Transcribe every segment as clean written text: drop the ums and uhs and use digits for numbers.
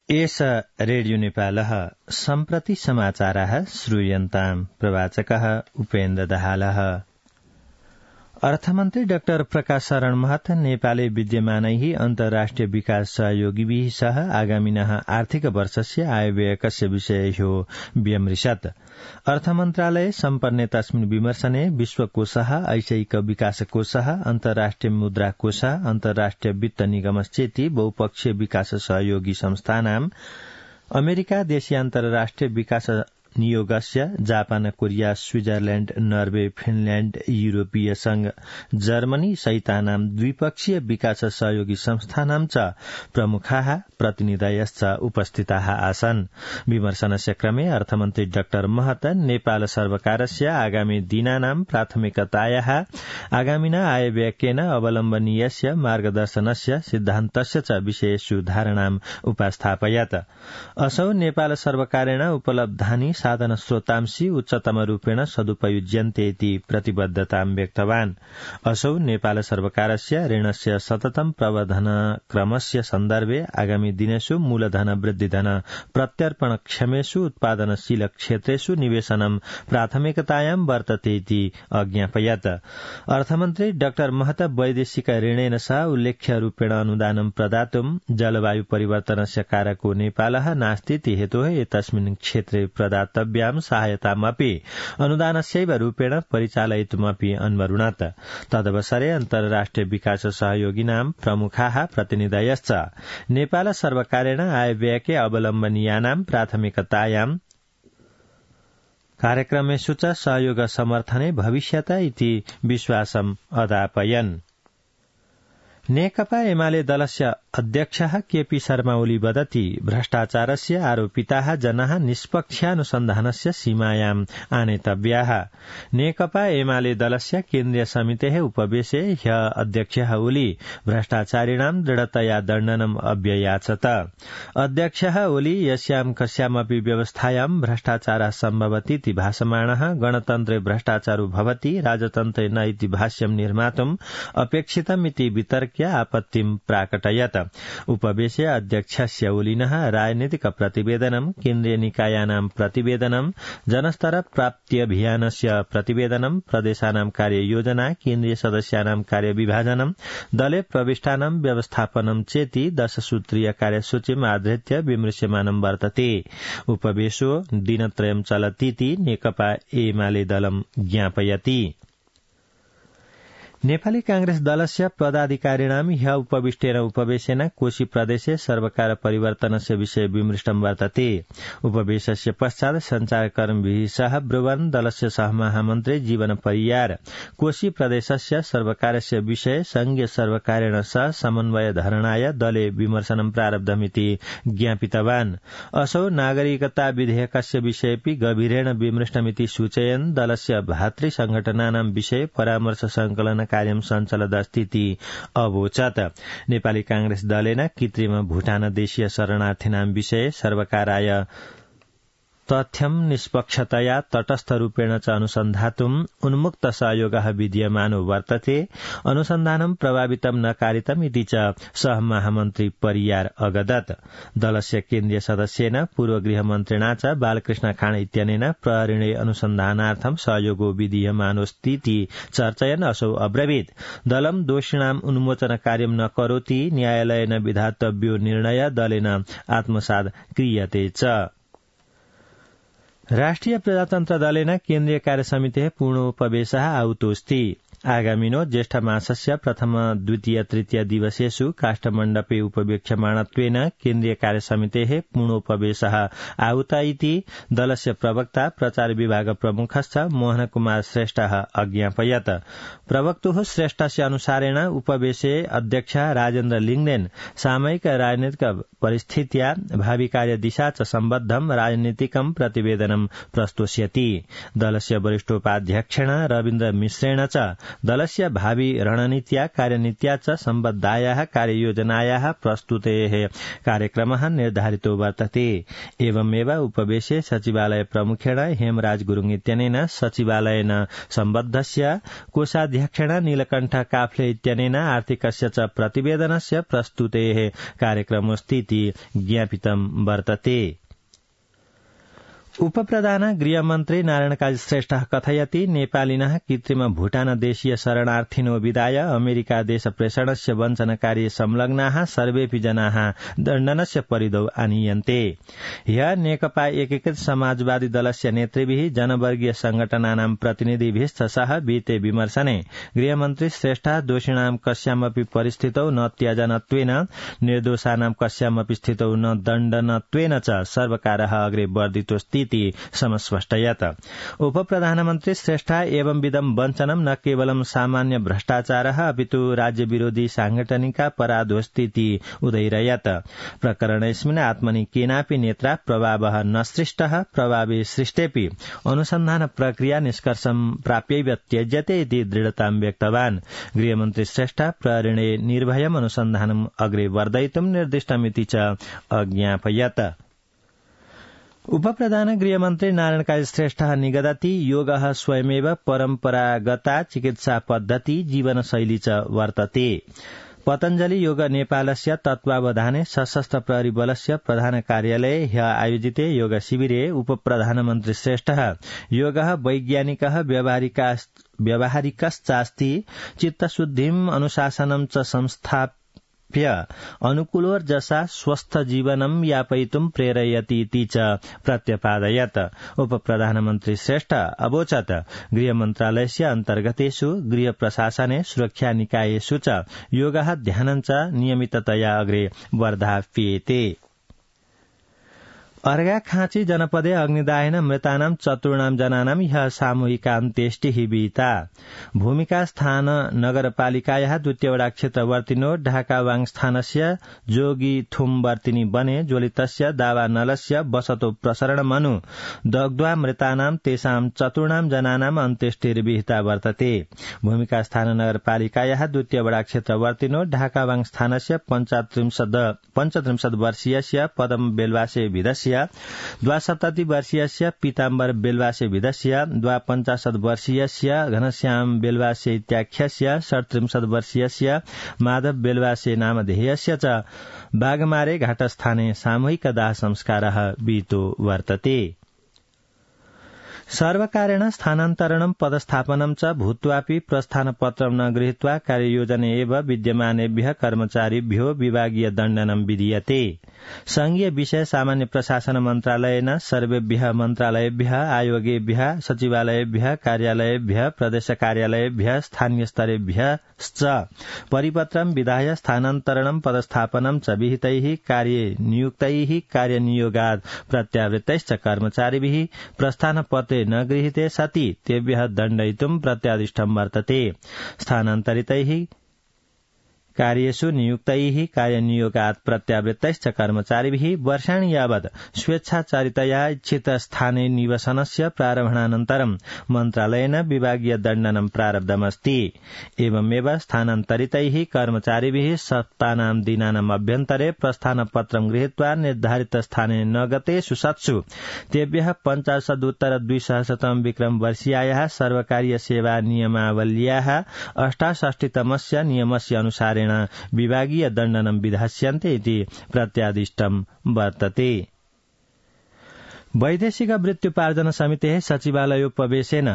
एष रेडियो नेपालः सम्प्रति समाचारः श्रूयन्ताम् प्रवाचकः उपेन्द्र दाहालः। अर्थमन्त्री डाक्टर प्रकाश शरण महत नेपाले विद्यमानैः अन्तर्राष्ट्रिय विकास सहयोगिभिः सह आगामिनः आर्थिक वर्षस्य आयव्ययकस्य विषयो व्यमृशत्। अर्थमन्त्रालये सम्पन्ने तस्मिन् विमर्शने विश्वकोषः ऐशैक विकासकोषः अन्तर्राष्ट्रिय मुद्राकोषः अन्तर्राष्ट्रिय वित्त निगमश्चेति बहुपक्षीय विकास सहयोगी संस्थानाम् अमेरिका देशीय अन्तर्राष्ट्रिय विकास नियोगस्य Japan Korea Switzerland Norway Finland European संघ जर्मनी सहितानां द्विपक्षीय विकास सहयोगी संस्थानां च प्रमुखाः प्रतिनिधयश्च उपस्थिताः आसन्। विमर्शनस्य क्रमे अर्थमन्त्री डाक्टर महत नेपाल सर्वकारस्य आगामी दिनानां प्राथमिकतायाः आगामिना आयव्ययकेन अवलम्बनीयस्य मार्गदर्शनस्य सिद्धान्तस्य च विषयेषु धारणाम् उपस्थापयत्। असौ नेपाल सर्वकारेण उपलब्धानि साधन स्रोतांसि उच्चतम रूपेण सदुपयुज्यन्ते इति प्रतिबद्धतां व्यक्तवान्। असौ नेपाल सर्वकारस्य ऋणस्य सततं प्रवर्धन क्रमस्य सन्दर्भे आगामी दिनेषु मूलधन वृद्धिधन प्रत्यर्पण क्षमेषु उत्पादनशील क्षेत्रेषु निवेशनं प्राथमिकतायां वर्तते इति अज्ञापयत्। अर्थमन्त्री डाक्टर महत वैदेशिक ऋणेन सह उल्लेख्य रूपेण अनुदानं प्रदातुं जलवायु परिवर्तनस्य कारको नेपालः नास्ति इति हेतोः एतस्मिन् क्षेत्रे प्रदातव्यां सहायतामपि अनुदानस्यैव रूपेण परिचालयितुमपि अन्वरुणत्। तदवसरे अन्तर्राष्ट्रिय विकास सहयोगिनां प्रमुखाः प्रतिनिधयश्च नेपाल सर्वकारेण आयव्ययके अवलम्बनीयानां प्राथमिकतायां कार्यक्रमेषु च सहयोग समर्थने भविष्यत इति विश्वासम् अदापयन्। नेकपा एमाले दलस्य अध्यक्षः केपी शर्मा ओली वदति भ्रष्टाचारस्य आरोपिताः जनाः निष्पक्षानुसन्धानस्य सीमायाम् आनेतव्याः। नेकपा एमाले दलस्य केन्द्रीय समितेः उपवेशे ह्यः अध्यक्षः ओली भ्रष्टाचारिणां दृढतया दण्डनम् अव्ययाचत। अध्यक्षः ओली यस्यां कस्यामपि व्यवस्थायां भ्रष्टाचारः सम्भवति इति भासमाणः गणतन्त्रे भ्रष्टाचारो भवति राजतन्त्रे न इति भाष्यं निर्मातुम् अपेक्षितम् इति वितर्क्य आपत्तिं प्राकटयत्। उपवेशे अध्यक्षस्य ओलिनः राजनीतिक प्रतिवेदनं केन्द्रीय निकायानां प्रतिवेदनं जनस्तर प्राप्त्यभियानस्य प्रतिवेदनं प्रदेशानां कार्ययोजना केन्द्रीय सदस्यानां कार्यविभाजनं दले प्रविष्टानां व्यवस्थापनं चेति 10 सूत्रीय कार्यसूचीम् आधृत्य विमृश्यमानं वर्तते। उपवेशो दिनत्रयं चलतीति नेकपा एमाले दलं ज्ञापयति। नेपाली कांग्रेस दलस्य पदाधिकारिणां ह्यः उपविष्टेन उपवेशेन कोशी प्रदेशे सर्वकार परिवर्तनस्य विषय विमृष्टं वर्तते। उपवेशस्य पश्चात् संचारकर्मीभिः सह ब्रुवन् दलस्य सहमहामन्त्री जीवन परियार कोशी प्रदेशस्य सर्वकारस्य विषय संघीय सर्वकारेण सह समन्वय धरणाय दले विमर्शनं प्रारब्धमिति ज्ञापितवान्। असौ नागरिकता विधेयकस्य विषयेपि गभीरेण विमृष्टमिति सूचयन् दलस्य भातृ संघटनानां विषय परामर्श संकलन कार्यं सञ्चालदस्तीति अवोचत्। नेपाली कांग्रेस दलेन कृत्रिम भूटान देशीय शरणार्थीनां विषय सर्वकाराय तथ्यं निष्पक्षतया तटस्थ रूपेण च अनुसन्धातुम् उन्मुक्त सहयोगः विद्यमानो वर्तते अनुसन्धानं प्रभावितं न कारितम् इति च सहमहामन्त्री परियार अगदत्। दलस्य केन्द्रीय सदस्येन पूर्व गृहमन्त्रिणा च बालकृष्ण खाँड इत्यनेन प्रहरीणे अनुसन्धानार्थं सहयोगो विधीयमानोऽस्तीति चर्चयन् असौ अब्रवीत् दलं दोषिणाम् उन्मोचन कार्यं न करोति न्यायालयेन विधातव्यो निर्णय दलेन आत्मसात् क्रियते च। राष्ट्रिय प्रजातन्त्र दलेन केन्द्रीय कार्यसमितेः पूर्णोपवेशः आहुतोऽस्ति। आगामिनो ज्येष्ठ मासस्य प्रथम द्वितीय तृतीय दिवसेषु काष्ठमण्डपे उपवेक्ष्यमाणत्वेन केन्द्रीय कार्यसमितेः पूर्णोपवेशः आहुत इति दलस्य प्रवक्ता प्रचार विभाग प्रमुखश्च मोहन कुमार श्रेष्ठः अज्ञापयत्। प्रवक्तुः श्रेष्ठस्य अनुसारेण उपवेशे अध्यक्ष राजेन्द्र लिङ्गदेन सामयिक राजनीतिक परिस्थित्या भावी कार्यदिशा च सम्बद्धं राजनीतिकं प्रतिवेदनं प्रस्तोष्यति। दलस्य वरिष्ठोपाध्यक्षेण रविन्द्र मिश्रेण च दलस्य भावी रणनीत्या कार्यनीत्या च सम्बद्धायाः कार्ययोजनायाः प्रस्तुतेः कार्यक्रमः निर्धारितो वर्तते। एवमेव उपवेशे सचिवालय प्रमुखेण हेमराज गुरुङ इत्यनेन सचिवालयेन सम्बद्धस्य कोषाध्यक्षेण नीलकण्ठ काफ्ले इत्यनेन आर्थिकस्य च प्रतिवेदनस्य प्रस्तुतेः कार्यक्रमोऽस्तीति ज्ञापितं वर्तते। उपप्रधान गृहमन्त्री नारायण काजी श्रेष्ठः कथयति नेपालिनः कृत्रिम भूटान देशीय शरणार्थिनो विदाय अमेरिका देश प्रेषणस्य वञ्चनकार्ये संलग्नाः सर्वेऽपि जनाः दण्डनस्य परिधौ आनीयन्ते। ह्य नेकपा एकीकृत समाजवादी दलस्य नेतृभिः जनवर्गीय संगठनानां प्रतिनिधिभिश्च सह विते विमर्शने गृहमन्त्री श्रेष्ठः दोषिणां कस्यामपि परिस्थितौ न त्याजनत्वेन निर्दोषानां कस्यामपि स्थितौ न दण्डनत्वेन च सर्वकारः अग्रे वर्धितोऽस्ति समस्पष्टयत्। उपप्रधानमन्त्री श्रेष्ठ एवंविधं वञ्चनं न केवलं सामान्य भ्रष्टाचारः अपितु राज्य विरोधी सांगठनिकापराधोऽस्तीति उदयिरयत्। प्रकरणेऽस्मिन् आत्मनि केनापि नेत्रा प्रभावः न सृष्टः प्रभावे सृष्टेऽपि अनुसन्धान प्रक्रिया निष्कर्षं प्राप्यैव त्यज्यते इति दृढतां व्यक्तवान्। गृहमन्त्री श्रेष्ठ प्रहरणे निर्भयम् अनुसन्धानम् अग्रे वर्धयितुं निर्दिष्टमिति च अज्ञापयत्। उपप्रधान गृहमन्त्री नारायण काजी श्रेष्ठः निगदति योगः स्वयमेव परम्परागता चिकित्सा पद्धति जीवनशैली च वर्तते। पतञ्जलि योग नेपालस्य तत्त्वावधाने सशस्त्र प्रहरी बलस्य प्रधान कार्यालये ह्य आयोजिते योग शिविरे उपप्रधानमन्त्री श्रेष्ठः योगः वैज्ञानिकः व्यावहारिकश्चास्ति चित्तशुद्धिम् अनुशासनं च संस्थाप्य अनुकूलोर्जसा स्वस्थ जीवनं यापयितुं प्रेरयति इति च प्रत्यपादयत्। उपप्रधानमन्त्री श्रेष्ठ अवोचत् गृहमन्त्रालयस्य अन्तर्गतेषु गृह प्रशासने सुरक्षा निकायेषु च योगः ध्यानं च नियमिततया अग्रे वर्धाप्येते। अर्घाखाँची जनपदे अग्निदाहेन मृतानां 4 जनानां ह्यः सामूहिकान्त्येष्टिः विहिता। भूमिका स्थान नगरपालिकायाः 2 वडा क्षेत्रवर्तिनो ढाकावाङ स्थानस्य जोगी थुम वर्तिनी बने ज्वलितस्य दावानलस्य वसतो प्रसरणमनु दग्ध्वा मृतानां तेषां 4 जनानां अन्त्येष्टिर्विहिता वर्तते। भूमिका स्थान नगरपालिकायाः 2 वडा क्षेत्रवर्तिनो ढाकावाङ स्थानस्य 35 वर्षीयस्य पदम बेलवासे विदस्य 72 वर्षीयस्य पीताम्बर बेलवासे विदस्य 52 वर्षीयस्य घनश्याम बेलवासे इत्याख्यस्य 37 वर्षीयस्य माधव बेलवासे नामधेयस्य च बागमारे घाटस्थाने सामूहिक दाह संस्कारः विहितो वर्तते। सर्वकारेण स्थानान्तरणं पदस्थापनं च भूत्वापि प्रस्थानपत्रं न गृहीत्वा कार्ययोजने एव विद्यमानेभ्यः कर्मचारिभ्यो विभागीय दण्डनं विधीयते। संघीय विषय सामान्य प्रशासन मन्त्रालयेन सर्वेभ्यः मन्त्रालयेभ्यः आयोगेभ्यः सचिवालयेभ्यः कार्यालयेभ्यः प्रदेश कार्यालयेभ्यः स्थानीय स्तरेभ्यश्च परिपत्रं विधाय स्थानान्तरणं पदस्थापनं च विहितैः कार्यनियुक्तैः कार्यनियोगात् प्रत्यावृत्तैश्च कर्मचारिभिः प्रस्थानपत्रे न गृहीते सति तेभ्यः दण्डयितुं प्रत्यादिष्टं वर्तते। स्थानान्तरितैः कार्येषु नियुक्तैः कार्यनियोगात् प्रत्यावृत्तैश्च कर्मचारिभिः वर्षाणि यावत् स्वेच्छाचारितया इच्छित स्थाने निवसनस्य प्रारम्भानन्तरं मन्त्रालयेन विभागीय दण्डनं प्रारब्धमस्ति। एवमेव स्थानान्तरितैः कर्मचारिभिः सप्तानां दिनानाम् अभ्यन्तरे प्रस्थानपत्रं गृहीत्वा निर्धारित स्थाने न गतेषु सत्सु तेभ्यः 50-200 विक्रम वर्षीयायाः सर्वकारीय सेवा नियमावल्याः 68तमस्य नियमस्य अनुसारेण विभागीय दण्डनं विधास्यन्ते इति प्रत्यादिष्टं वर्तते। वैदेशिक वृत्त्युपार्जन समितेः सचिवालयोपवेशेन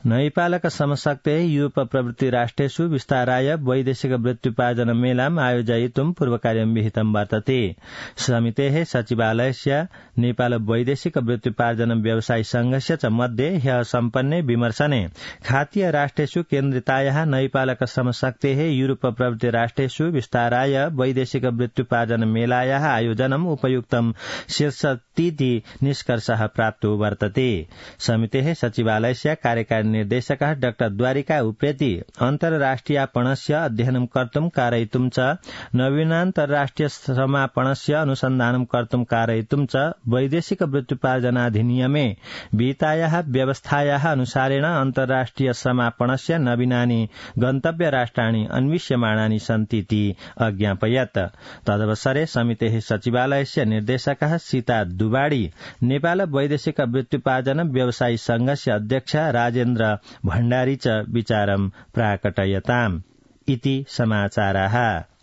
नैपालक समशक्तेः यूरोप प्रभृति राष्ट्रेषु विस्ताराय वैदेशिक वृत्त्युपार्जन मेलाम् आयोजयितुं पूर्वकार्यं विहितं वर्तते। समितेः सचिवालयस्य नेपाल वैदेशिक वृत्त्युपार्जन व्यवसायी संघस्य च मध्ये ह्यः सम्पन्ने विमर्शने खातीय राष्ट्रेषु केन्द्रितायाः नैपालक समशक्तेः यूरोप प्रभृति राष्ट्रेषु विस्ताराय वैदेशिक वृत्त्युपार्जन मेलायाः आयोजनम् उपयुक्तं शीर्षतीति निष्कर्षः प्राप्तो वर्तते। समितेः सचिवालयस्य कार्यकारिणी निर्देशकः डाक्टर द्वारिका उप्रेती अन्तर्राष्ट्रियपणस्य अध्ययनं कर्तुं कारयितुं च नवीनान्तर्राष्ट्रिय समापणस्य अनुसन्धानं कर्तुं कारयितुं च वैदेशिक वृत्त्युपार्जनाधिनियमे विहितायाः व्यवस्थायाः अनुसारेण अन्तर्राष्ट्रिय समापणस्य नवीनानि गन्तव्य राष्ट्राणि अन्विष्यमाणानि सन्तीति अज्ञापयत्। तदवसरे समितेः सचिवालयस्य निर्देशकः सीता दुबाडी नेपाल वैदेशिक वृत्त्युपार्जन व्यवसायी संघस्य अध्यक्ष राजेन्द्र भण्डारी च विचारं प्राकटयताम्। इति समाचाराः।